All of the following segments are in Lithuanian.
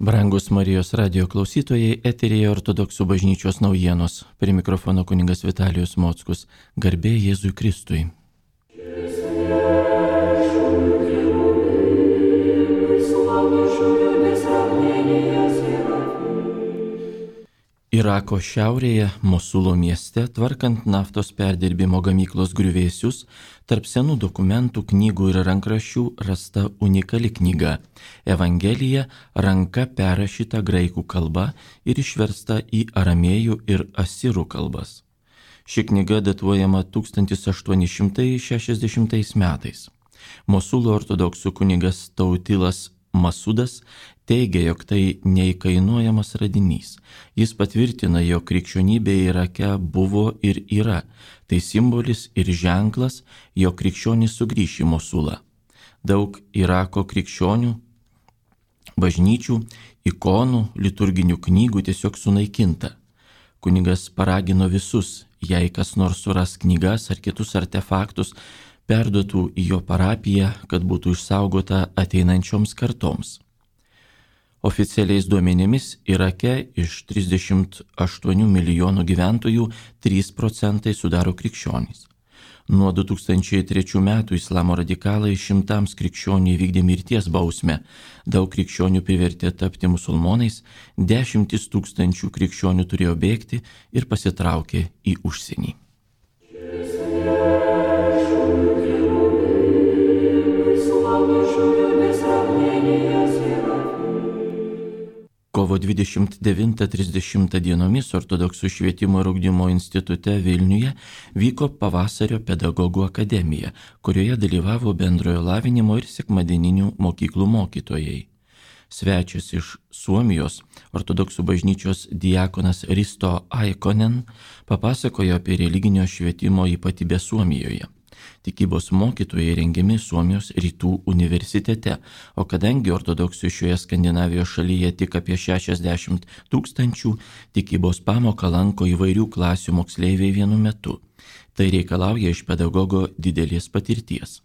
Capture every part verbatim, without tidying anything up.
Brangus Marijos radijo klausytojai, eteryje Ortodoksų bažnyčios naujienos. Prie mikrofono kunigas Vitalijus Mockus. Garbė Jėzui Kristui. Irako šiaurėje, Mosulo mieste, tvarkant naftos perdirbimo gamyklos griuvėsius, tarp senų dokumentų, knygų ir rankraščių rasta unikali knyga – Evangelija, ranka perrašyta graikų kalba ir išversta į aramėjų ir asirų kalbas. Ši knyga datuojama tūkstantis aštuoni šimtai šešiasdešimtais metais. Mosulo ortodoksų kunigas Tautilas Masudas teigia, jog tai neįkainuojamas radinys. Jis patvirtina, jog krikščionybė Irake buvo ir yra. Tai simbolis ir ženklas, jog krikščionys sugrįš į Mosulą. Daug Irako krikščionių, bažnyčių, ikonų, liturginių knygų tiesiog sunaikinta. Kunigas paragino visus, jei kas nors suras knygas ar kitus artefaktus, perduotų į jo parapiją, kad būtų išsaugota ateinančioms kartoms. Oficialiais duomenimis Irake iš trisdešimt aštuonių milijonų gyventojų trys procentai sudaro krikščionys. Nuo du tūkstančiai trečių metų islamo radikalai šimtams krikščionių įvykdė mirties bausmę, daug krikščionių privertė tapti musulmonais, dešimtis tūkstančių krikščionių turėjo bėgti ir pasitraukė į užsienį. Kovo dvidešimt devintą trisdešimtą dienomis Ortodoksų švietimo ir ugdymo institute Vilniuje vyko pavasario pedagogų akademija, kurioje dalyvavo bendrojo lavinimo ir sekmadieninių mokyklų mokytojai. Svečias iš Suomijos, Ortodoksų bažnyčios diakonas Risto Aikonen, papasakojo apie religinio švietimo ypatybę Suomijoje. Tikybos mokytojai rengiami Suomijos rytų universitete, o kadangi ortodoksų šioje Skandinavijos šalyje tik apie šešiasdešimt tūkstančių, tikybos pamoką lanko įvairių klasių moksleiviai vienu metu. Tai reikalauja iš pedagogo didelės patirties.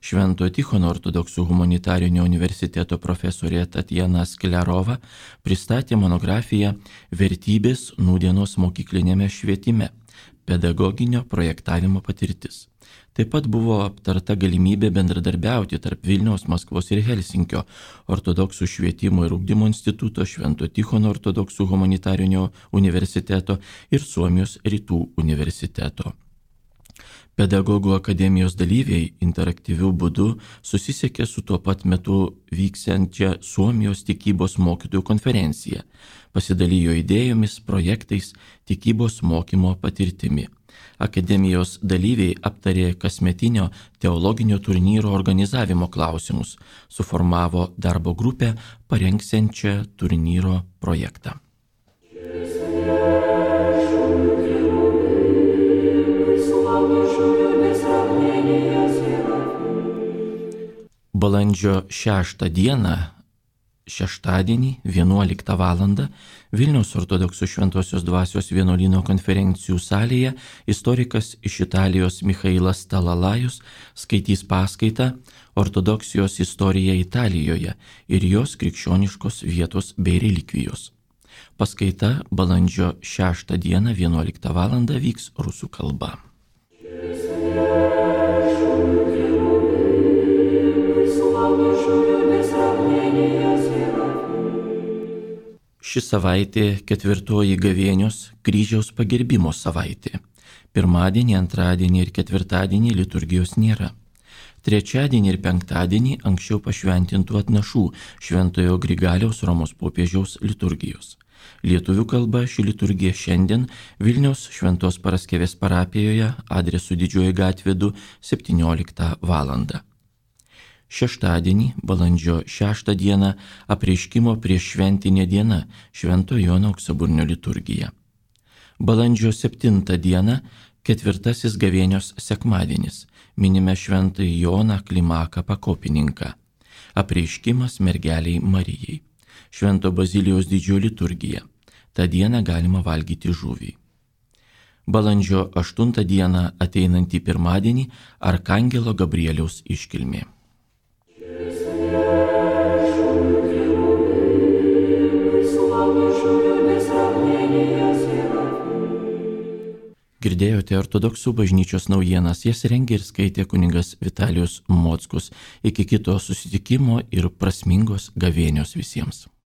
Švento Tichono ortodoksų humanitarinio universiteto profesorė Tatjana Sklerova pristatė monografiją Vertybės nūdienos mokyklinėme švietime – pedagoginio projektavimo patirtis. Taip pat buvo aptarta galimybė bendradarbiauti tarp Vilniaus, Maskvos ir Helsinkio ortodoksų švietimo ir ugdymo instituto, Švento Tichono ortodoksų humanitarinio universiteto ir Suomijos rytų universiteto. Pedagogų akademijos dalyviai interaktyvių būdų susisiekė su tuo pat metu vyksiančia Suomijos tikybos mokytojų konferencija, pasidalijo idėjomis, projektais, tikybos mokymo patirtimi. Akademijos dalyviai aptarė kasmetinio teologinio turnyro organizavimo klausimus, suformavo darbo grupę parengsiančią turnyro projektą. Balandžio šeštą dieną, šeštadienį, vienuoliktą valandą, Vilniaus ortodoksų šventosios dvasios vienuolyno konferencijų salėje istorikas iš Italijos Michailas Talalajus skaitys paskaitą Ortodoksijos istorija Italijoje ir jos krikščioniškos vietos bei relikvijos. Paskaita balandžio šeštą dieną, vienuoliktą valandą vyks rusų kalba. Ši savaitė ketvirtoji gavėnios kryžiaus pagerbimo savaitė. Pirmadienį, antradienį ir ketvirtadienį liturgijos nėra. Trečiadienį ir penktadienį anksčiau pašventintų atnašų Šventojo Grigaliaus Romos popiežiaus liturgijos. Lietuvių kalba ši liturgija šiandien Vilniaus Šventos Paraskevės parapijoje adresu Didžioji gatvė du septynioliktą valandą. Šeštadienį, balandžio šeštą dieną, apreiškimo prieš šventinė diena Švento Jono Auksaburnio liturgija. Balandžio septintą dieną, ketvirtasis gavėnios sekmadienis, minime Šventąjį Joną Klimaką Pakopininką. Apreiškimas mergeliai Marijai. Švento Bazilijaus didžioji liturgija. Ta diena galima valgyti žuvį. Balandžio aštuntą dieną ateinantį pirmadienį Arkangelo Gabrieliaus iškilmė. Girdėjote ortodoksų bažnyčios naujienas, jas rengė ir skaitė kunigas Vitalijus Mockus. Iki kito susitikimo ir prasmingos gavėnios visiems.